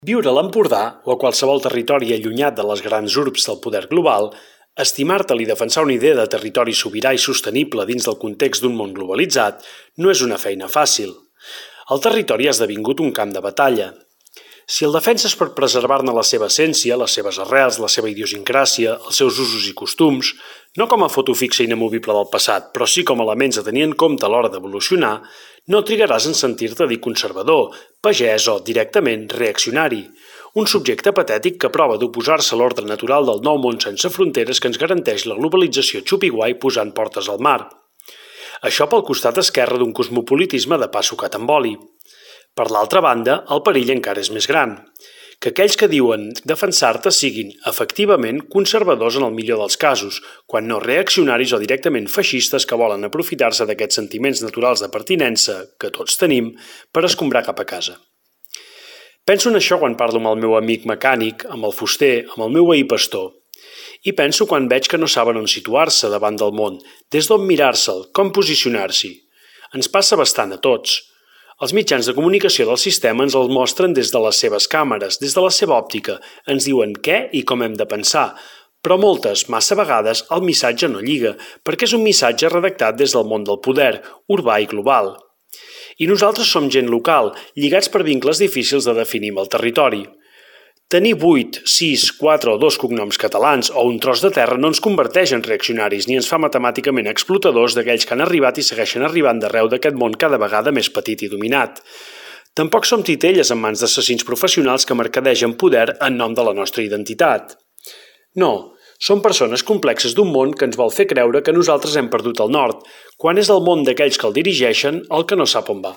Viure a l'Empordà o a qualsevol territori allunyat de les grans urbs del poder global, estimar-te'l i defensar una idea de territori sobirà i sostenible dins del context d'un món globalitzat no és una feina fàcil. El territori ha esdevingut un camp de batalla. Si el defenses per preservar-ne la seva essència, les seves arrels, la seva idiosincràsia, els seus usos i costums, no com a foto fixa inamovible del passat, però sí com a elements a tenir en compte a l'hora d'evolucionar, no trigaràs en sentir-te dir conservador, pagès o, directament, reaccionari. Un subjecte patètic que prova d'oposar-se a l'ordre natural del nou món sense fronteres que ens garanteix la globalització xupi-guai posant portes al mar. Això pel costat esquerre d'un cosmopolitisme de pa sucat amb oli. Per l'altra banda, el perill encara és més gran. Que aquells que diuen defensar-te siguin, efectivament, conservadors en el millor dels casos, quan no reaccionaris o directament feixistes que volen aprofitar-se d'aquests sentiments naturals de pertinença, que tots tenim, per escombrar cap a casa. Penso en això quan parlo amb el meu amic mecànic, amb el fuster, amb el meu veí pastor. I penso quan veig que no saben on situar-se davant del món, des d'on mirar-se'l, com posicionar-s'hi. Ens passa bastant a tots. Els mitjans de comunicació del sistema ens el mostren des de les seves càmeres, des de la seva òptica, ens diuen què i com hem de pensar, però moltes, massa vegades, el missatge no lliga, perquè és un missatge redactat des del món del poder, urbà i global. I nosaltres som gent local, lligats per vincles difícils de definir amb el territori. Tenir 8, 6, 4 o 2 cognoms catalans o un tros de terra no ens converteix en reaccionaris ni ens fa matemàticament explotadors d'aquells que han arribat i segueixen arribant d'arreu d'aquest món cada vegada més petit i dominat. Tampoc som titelles en mans d'assassins professionals que mercadegen poder en nom de la nostra identitat. No, som persones complexes d'un món que ens vol fer creure que nosaltres hem perdut el nord, quan és el món d'aquells que el dirigeixen el que no sap on va.